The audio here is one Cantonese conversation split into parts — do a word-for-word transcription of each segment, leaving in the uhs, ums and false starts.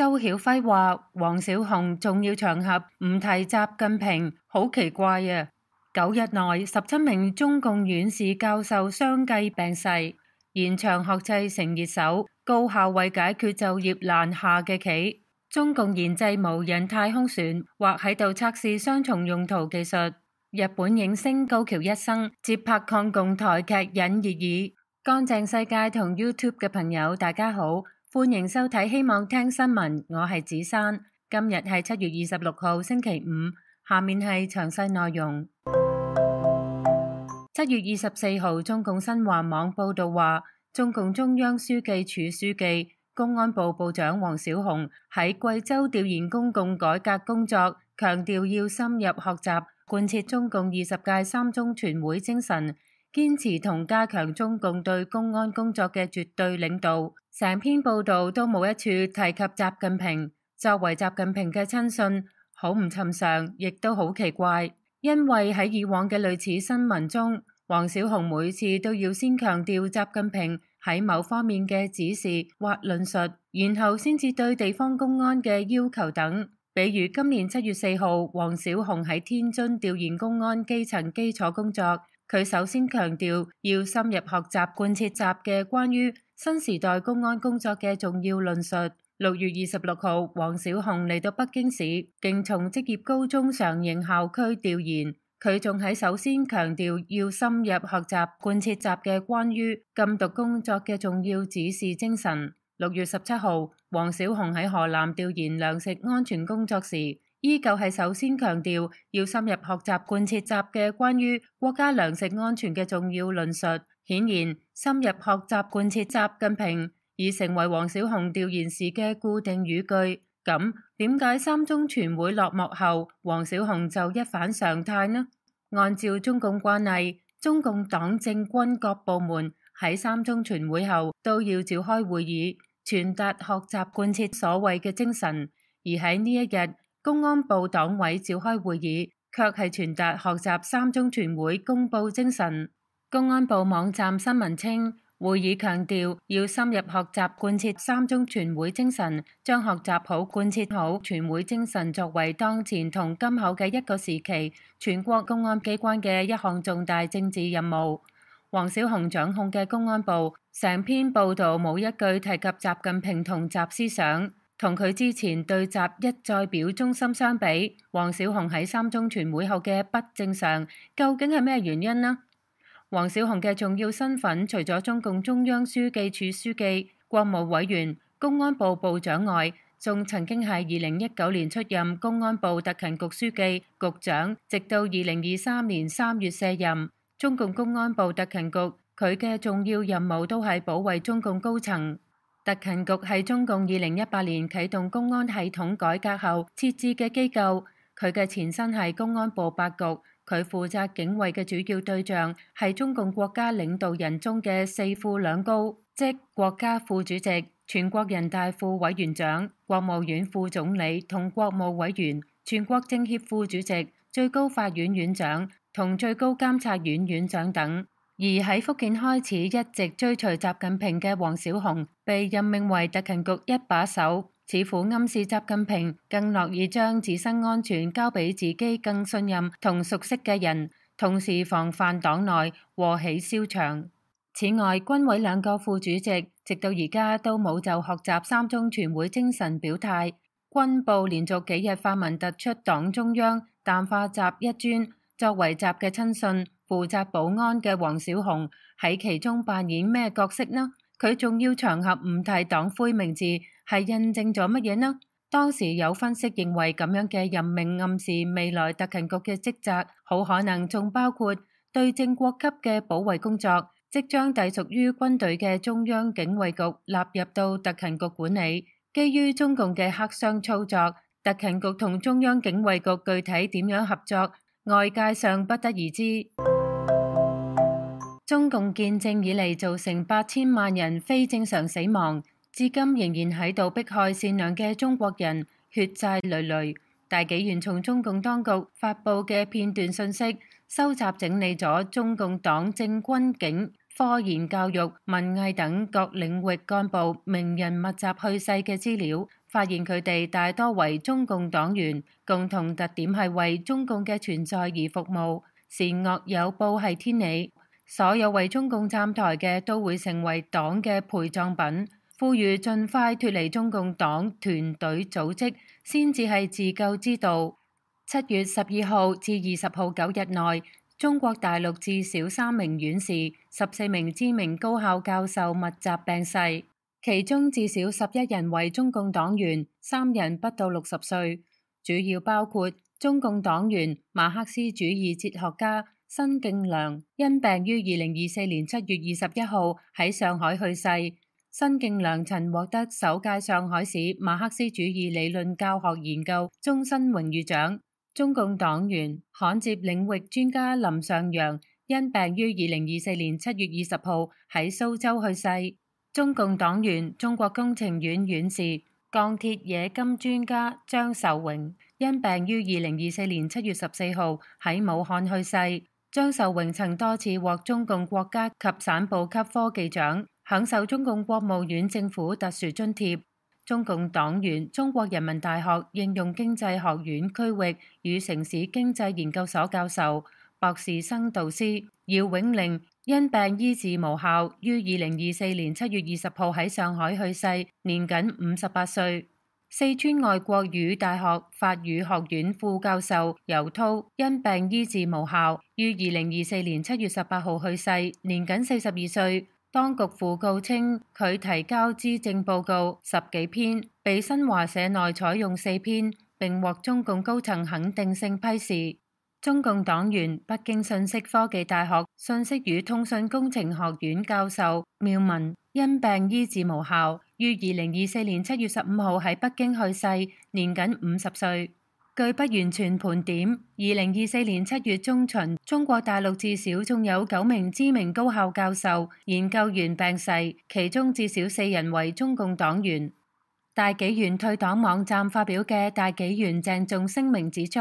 周曉輝話黃小紅重要場合唔提習近平，好奇怪啊！九日內十七名中共院士教授相繼病逝，延長學制成熱搜，高校為解決就業難下嘅棋。中共研製無人太空船，或喺度測試雙重用途技術。日本影星高橋一生接拍抗共台劇引熱議。乾淨世界同 YouTube 嘅朋友大家好，歡迎收睇希望聽新聞，我係子珊。今日係七月二十六號星期五，下面係詳細內容。七月二十四號，中共新華網報道話，中共中央書記處書記、公安部部長王小洪喺貴州調研公共改革工作，強調要深入學習貫徹中共二十屆三中全會精神，堅持同加強中共對公安工作嘅絕對領導。成篇報道都冇一處提及習近平。作為習近平嘅親信，好唔尋常，亦都好奇怪，因為喺以往嘅類似新聞中，王小洪每次都要先強調習近平喺某方面嘅指示或論述，然後先至對地方公安嘅要求等。比如今年七月四號，王小洪喺天津調研公安基層基礎工作，佢首先強調要深入學習貫徹習嘅關於新時代公安工作嘅重要論述。六月二十六號，王小洪嚟到北京市，經從職業高中常營校區調研。佢仲喺首先強調要深入學習貫徹習嘅關於禁毒工作嘅重要指示精神。六月十七號，王小洪喺河南調研糧食安全工作時，依舊係首先強調要深入學習貫徹習嘅關於國家糧食安全嘅重要論述。顯然，深入學習貫徹習近平已成為王小洪調研時嘅固定語句。咁點解三中全會落幕後，王小洪就一反常態呢？按照中共慣例，中共黨政軍各部門喺三中全會後都要召開會議，傳達學習貫徹所謂嘅精神。而喺呢一日，公安部黨委召開會議，卻係傳達學習三中全會公佈精神。公安部網站新聞稱，會議強調要深入學習貫徹三中全會精神，將學習好貫徹好全會精神作為當前同今後嘅一個時期全國公安機關嘅一項重大政治任務。王小洪掌控嘅公安部成篇報道冇一句提及習近平同習思想，同佢之前對習一再表忠心相比，王小洪喺三中全會後嘅不正常，究竟係咩原因呢？王小洪嘅重要身份，除咗中共中央書記處書記、國務委員、公安部部長外，仲曾經係二零一九年出任公安部特勤局書記、局長，直到二零二三年三月卸任。中共公安部特勤局，佢嘅重要任務都係保衛中共高層。特勤局係中共二零一八年啟動公安系統改革後設置嘅機構，佢嘅前身係公安部八局。佢負責警衛嘅主要對象係中共國家領導人中嘅四副兩高，即國家副主席、全國人大副委員長、國務院副總理同國務委員、全國政協副主席、最高法院院長同最高監察院院長等。而喺福建開始一直追隨習近平嘅王小洪，被任命為特勤局一把手，似乎暗示習近平更樂意將自身安全交俾自己更信任同熟悉嘅人，同時防範黨內禍起蕭牆。此外，軍委兩個副主席直到而家都冇就學習三中全會精神表態。軍部連續幾日發文突出黨中央淡化習一尊，作為習嘅親信，負責保安嘅王小洪喺其中扮演咩角色呢？佢重要場合唔提黨魁名字，係印證咗乜嘢呢？當時有分析認為，咁樣嘅任命暗示未來特勤局嘅職責好可能仲包括對正國級嘅保衛工作，即將隸屬於軍隊嘅中央警衛局納入到特勤局管理。基於中共嘅黑箱操作，特勤局同中央警衛局具體點樣合作，外界尚不得而知。中共建政以嚟造成八千萬人非正常死亡，至今仍然喺度迫害善良嘅中國人，血債累累。大紀元從中共當局發佈嘅片段信息，收集整理咗中共黨政軍警、科研教育、文藝等各領域幹部名人密集去世嘅資料，發現佢哋大多為中共黨員，共同特點係為中共嘅存在而服務，善惡有報係天理。所有為中共站台嘅都會成為黨嘅陪葬品。呼籲盡快脫離中共黨團隊組織，先至係自救之道。七月十二號至二十號九日內，中國大陸至少三名院士、十四名知名高校教授密集病逝，其中至少十一人為中共黨員，三人不到六十歲，主要包括中共黨員馬克思主義哲學家申敬良，因病於二零二四年七月二十一號喺上海去世。申敬良曾獲得首屆上海市馬克思主義理論教學研究終身榮譽獎。中共黨員焊接領域專家林尚陽因病於二零二四年七月二十號喺蘇州去世。中共黨員中國工程院院士鋼鐵冶金專家張壽榮因病於二零二四年七月十四號喺武漢去世。張壽榮曾多次獲中共國家及省部級科技獎，享受中共國務院政府特殊津貼。中共黨員中國人民大學應用經濟學院區域與城市經濟研究所教授、博士生導師姚永玲因病醫治無效，於二零二四年七月二十號喺上海去世，年僅五十八歲。四川外國語大學法語學院副教授尤濤因病醫治無效，於二零二四年七月十八號去世，年僅四十二歲。當局訃告稱，佢提交資政報告十幾篇，被新華社內採用四篇，並獲中共高層肯定性批示。中共黨員北京信息科技大學信息與通訊工程學院教授繆文因病醫治無效，於二零二四年七月十五號喺北京去世，年僅五十歲。據不完全盤點，二零二四年七月中旬，中國大陸至少仲有九名知名高校教授、研究員病逝，其中至少四人為中共黨員。大紀元退黨網站發表嘅大紀元鄭重聲明指出，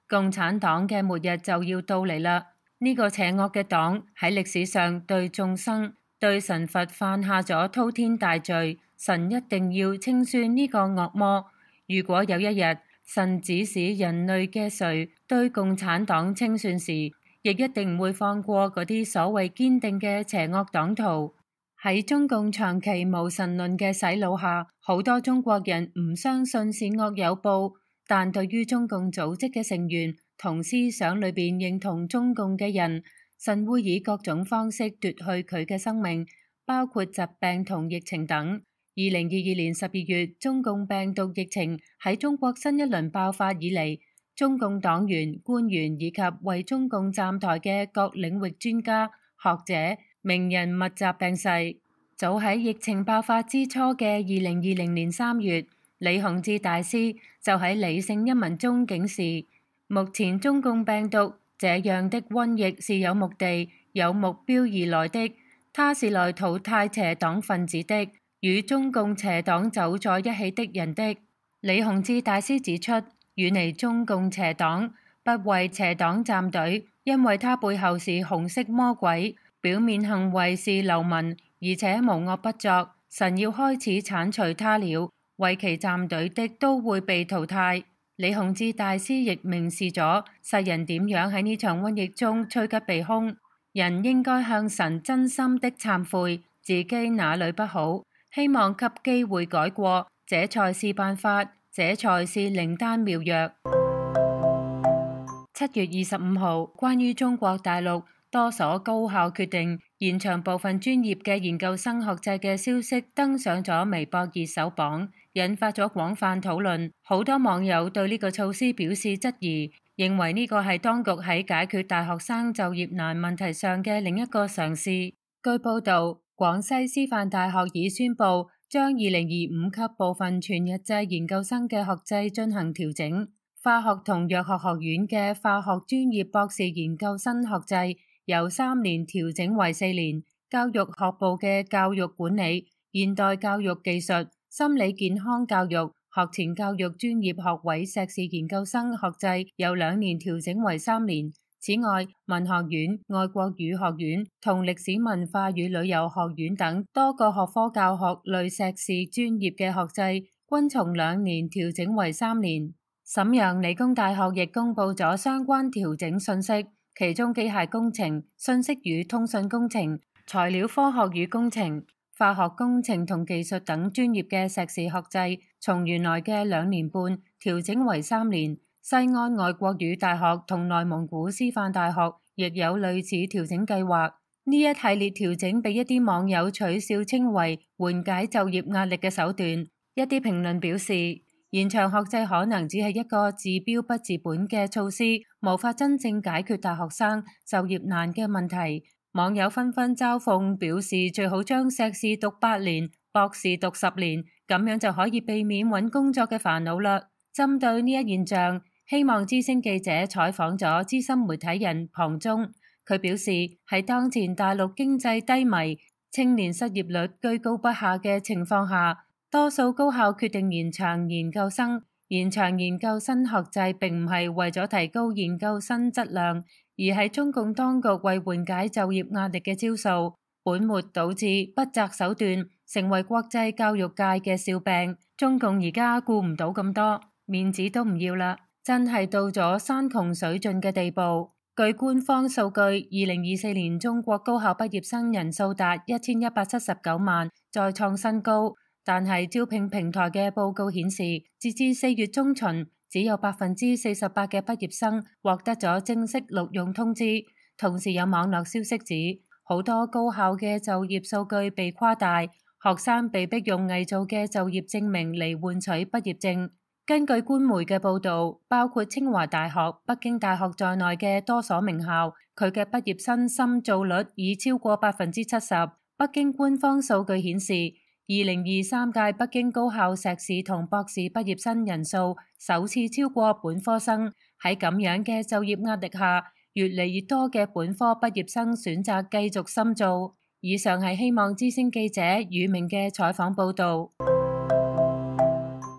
共產黨嘅末日就要到嚟啦！呢、這個邪惡嘅黨喺歷史上對眾生、對神佛犯下咗滔天大罪，神一定要清算呢個惡魔。如果有一日，神指使人類嘅誰對共產黨清算時，亦一定唔會放過嗰啲所謂堅定嘅邪惡黨徒。喺中共長期無神論嘅洗腦下，好多中國人唔相信善惡有報，但對於中共組織嘅成員同思想裏邊認同中共嘅人，神會以各種方式奪去佢嘅生命，包括疾病同疫情等。二零二二年十二月，中共病毒疫情喺中國新一輪爆發以嚟，中共黨員、官員以及為中共站台嘅各領域專家、學者、名人密集病逝。早喺疫情爆發之初嘅二零二零年三月，李洪志大師就喺理性一文中警示：目前中共病毒這樣的瘟疫是有目的、有目標而來的，它是來淘汰邪黨分子的。與中共邪黨走在一起的人的。李洪志大師指出，遠離中共邪黨，不為邪黨站隊，因為他背後是紅色魔鬼，表面行為是流氓，而且無惡不作。神要開始鏟除他了，為其站隊的都會被淘汰。李洪志大師亦明示咗世人點樣喺呢場瘟疫中趨吉避凶，人應該向神真心的懺悔自己哪裏不好。希望給機會改過，這才是辦法，這才是靈丹妙藥。七月二十五號，關於中國大陸多所高校決定延長部分專業嘅研究生學制嘅消息登上咗微博熱搜榜，引發咗廣泛討論。好多網友對呢個措施表示質疑，認為呢個係當局喺解決大學生就業難問題上嘅另一個嘗試。據報導，廣西師範大學已宣布將二零二五級部分全日制研究生嘅學制進行調整。化學同藥學學院嘅化學專業博士研究生學制由三年調整為四年。教育學部嘅教育管理、現代教育技術、心理健康教育、學前教育專業學位碩士研究生學制由兩年調整為三年。此外，文學院、外國語學院同歷史文化與旅遊學院等多個學科教學類碩士專業嘅學制均從兩年調整為三年。瀋陽理工大學亦公布咗相關調整信息，其中機械工程、信息與通訊工程、材料科學與工程、化學工程同技術等專業嘅碩士學制，從原來嘅兩年半調整為三年。西安外國語大學同內蒙古師範大學亦有類似調整計劃。呢一系列調整被一啲網友取笑稱為緩解就業壓力嘅手段。一啲評論表示，延長學制可能只係一個治標不治本嘅措施，無法真正解決大學生就業難嘅問題。網友紛紛嘲諷，表示最好將碩士讀八年，博士讀十年，咁樣就可以避免揾工作嘅煩惱啦。針對呢一現象，希望之聲記者採訪咗資深媒體人龐忠，佢表示喺當前大陸經濟低迷、青年失業率居高不下嘅情況下，多數高校決定延長研究生。延長研究生學制並唔係為咗提高研究生質量，而係中共當局為緩解就業壓力嘅招數，本末倒置、不擇手段，成為國際教育界嘅笑柄。中共而家顧唔到咁多，面子都唔要啦，真係到咗山窮水盡嘅地步。據官方數據，二零二四年中國高校畢業生人數達一千一百七十九萬，再創新高。但係招聘平台嘅報告顯示，截至四月中旬，只有百分之四十八嘅畢業生獲得咗正式錄用通知。同時有網絡消息指，好多高校嘅就業數據被誇大，學生被逼用偽造嘅就業證明嚟換取畢業證。根據官媒嘅報導，包括清華大學、北京大學在內嘅多所名校，佢嘅畢業生深造率已超過百分之七十。北京官方數據顯示，二零二三屆北京高校碩士同博士畢業生人數首次超過本科生。喺咁樣嘅就業壓力下，越嚟越多嘅本科畢業生選擇繼續深造。以上係希望之聲記者宇明嘅採訪報導。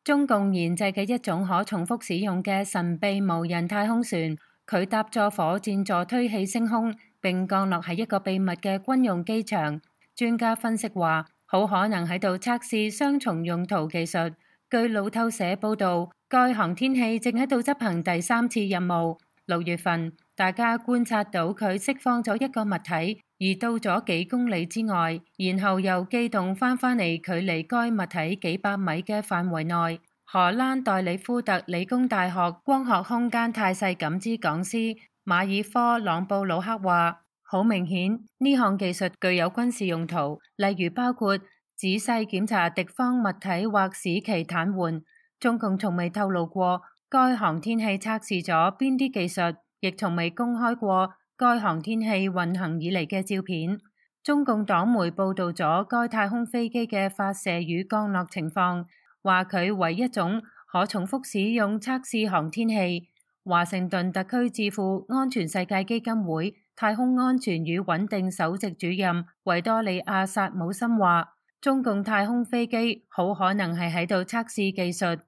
中共研製嘅一種可重複使用嘅神秘無人太空船，佢搭載火箭助推器升空並降落喺一個秘密嘅軍用機場。專家分析話，好可能喺度測試雙重用途技術。據路透社報導，該航天器正喺度執行第三次任務。六月份，大家觀察到佢釋放咗一個物體，移到咗幾公里之外，然後又機動翻返嚟距離該物體幾百米嘅範圍內。荷蘭代里夫特理工大學光學空間態勢感知講師馬爾科朗布魯克話，好明顯呢項技術具有軍事用途，例如包括仔細檢查敵方物體或使其癱瘓。中共從未透露過該航天器測試咗邊啲技術，亦從未公開過該航天器運行以嚟嘅照片。中共黨媒報導咗該太空飛機嘅發射與降落情況，話佢為一種可重複使用測試航天器。華盛頓特區智庫安全世界基金會太空安全與穩定首席主任維多利亞薩姆森話，中共太空飛機好可能係喺度測試技術。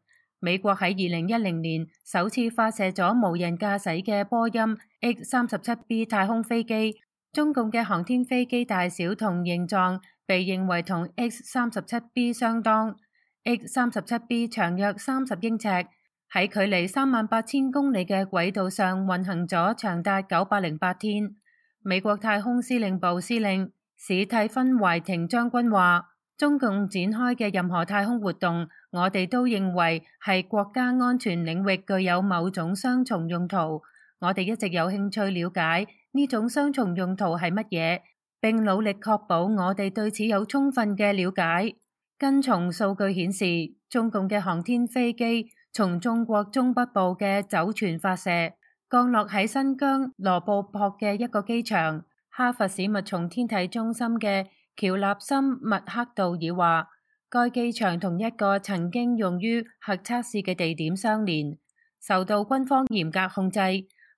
美國喺二零一零年首次發射咗無人駕駛嘅波音 X 三十七 B 太空飛機。中共嘅航天飛機大小同形狀被認為同 X 三十七 B 相當。X 三十七 B 長約三十英尺，喺距離三萬八千公里嘅軌道上運行咗長達九百零八天。美國太空司令部司令史蒂芬懷廷將軍話，中共展開嘅任何太空活動，我哋都認為係國家安全領域具有某種雙重用途。我哋一直有興趣了解呢種雙重用途係乜嘢，並努力確保我哋對此有充分嘅了解。跟從數據顯示，中共嘅航天飛機從中國中北部嘅酒泉發射，降落喺新疆羅布泊嘅一個機場。哈佛史密松天體中心嘅喬納森麥克道爾話，該機場同一個曾經用於核測試嘅地點相連，受到軍方嚴格控制。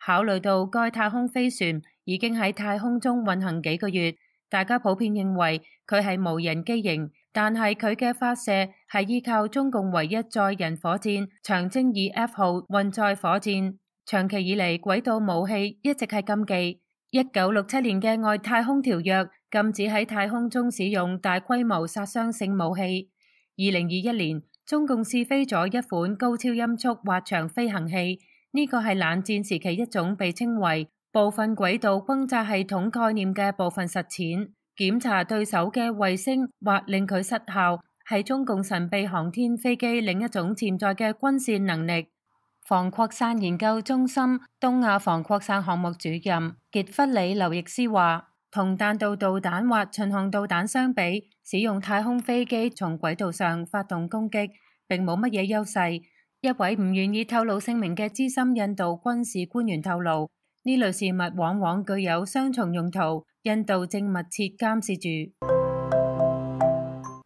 考慮到該太空飛船已經喺太空中運行幾個月，大家普遍認為佢係無人機型，但係佢嘅發射係依靠中共唯一載人火箭長征二 F 號運載火箭。長期以嚟，軌道武器一直係禁忌。一九六七年嘅外太空條約禁止喺太空中使用大規模殺傷性武器。二零二一年，中共試飛咗一款高超音速滑翔飛行器，呢個係冷戰時期一種被稱為部分軌道轟炸系統概念嘅部分實踐，檢查對手嘅衛星或令佢失效，係中共神秘航天飛機另一種潛在嘅軍事能力。防擴散研究中心東亞防擴散項目主任傑弗里劉易斯話，同彈道導彈或巡航導彈相比，使用太空飛機從軌道上發動攻擊並冇乜嘢優勢。一位唔願意透露姓名嘅資深印度軍事官員透露，呢類事物往往具有雙重用途，印度正密切監視住。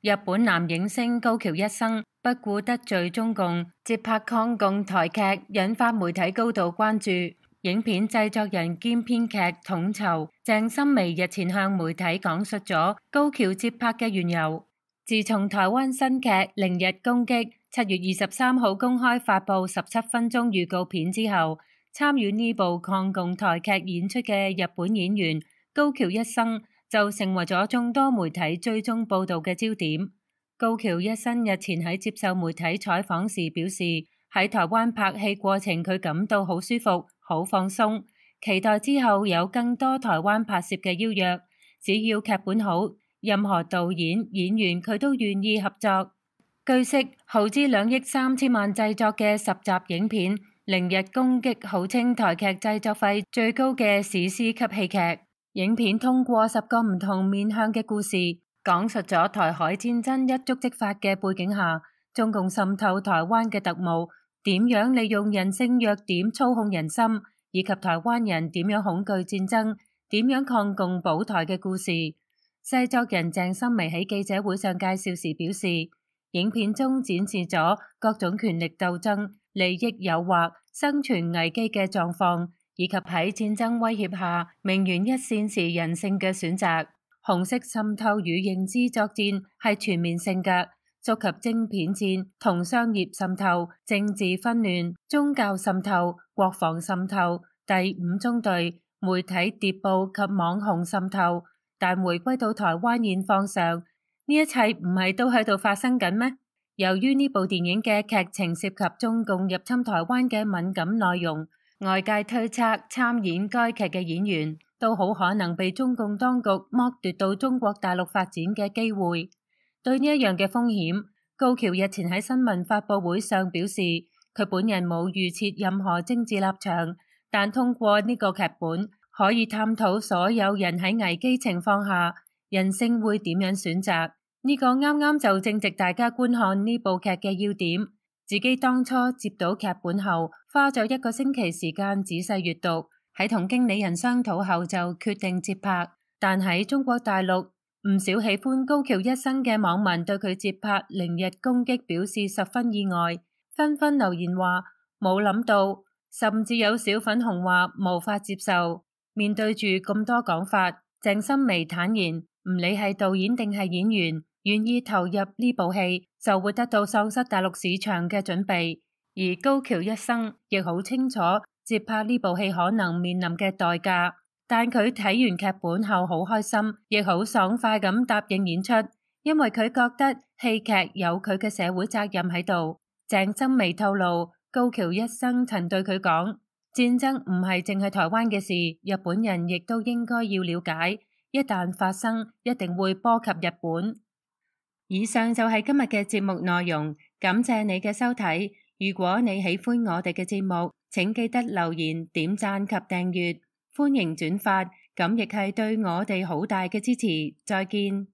日本男影星高橋一生不顧得罪中共，接拍抗共台劇，引發媒體高度關注。影片製作人兼編劇統籌鄭心薇日前向媒體講述咗高橋接拍嘅緣由。自從台灣新劇《零日攻擊》七月二十三號公開發布十七分鐘預告片之後，參與呢部抗共台劇演出嘅日本演員高橋一生就成為咗眾多媒體追蹤報道嘅焦點。高橋一生日前喺接受媒體採訪時表示，喺台灣拍戲過程佢感到好舒服、好放鬆，期待之後有更多台灣拍攝嘅邀約，只要劇本好，任何導演、演員佢都願意合作。據悉，耗資兩億三千萬製作嘅十集影片《零日攻擊》號稱台劇製作費最高嘅史詩級戲劇。影片通過十個唔同面向嘅故事，講述咗台海戰爭一觸即發嘅背景下，中共滲透台灣嘅特務點樣利用人性弱點操控人心，以及台灣人點樣恐懼戰爭、點樣抗共保台嘅故事。製作人鄭心薇喺記者會上介紹時表示，影片中展示咗各種權力鬥爭、利益誘惑、生存危機嘅狀況，以及喺戰爭威脅下命懸一線時人性嘅選擇。紅色滲透與認知作戰係全面性嘅，觸及晶片戰同商業滲透、政治紛亂、宗教滲透、國防滲透、第五中隊、媒體諜報及網紅滲透。但回歸到台灣現況上，呢一切唔係都喺度發生緊咩？由於呢部電影嘅劇情涉及中共入侵台灣嘅敏感內容，外界推測參演該劇嘅演員都好可能被中共當局剝奪到中國大陸發展嘅機會。對呢一樣嘅風險，高橋日前喺新聞發佈會上表示，佢本人冇預設任何政治立場，但通過呢個劇本可以探討所有人喺危機情況下人性會點樣選擇。呢個啱啱就正值大家觀看呢部劇嘅要點。自己當初接到劇本後，花咗一個星期時間仔細閱讀，喺同經理人商討後就決定接拍。但喺中國大陸，唔少喜歡高橋一生嘅網民對佢接拍《零日攻擊》表示十分意外，紛紛留言話冇諗到，甚至有小粉紅話無法接受。面對住咁多講法，鄭心薇坦言，唔理係導演定係演員，願意投入呢部戲就會得到喪失大陸市場嘅準備。而高橋一生亦好清楚接拍呢部戲可能面臨嘅代價，但佢睇完劇本後好開心，亦好爽快咁答應演出，因為佢覺得戲劇有佢嘅社會責任喺度。鄭心薇透露，高橋一生曾對佢講，戰爭唔係淨係台灣嘅事，日本人亦都應該要了解，一旦發生，一定會波及日本。以上就係今日嘅節目內容，感謝你嘅收睇。如果你喜歡我哋嘅節目，請記得留言、點讚及訂閱，歡迎轉發，咁亦係對我哋好大嘅支持。再見。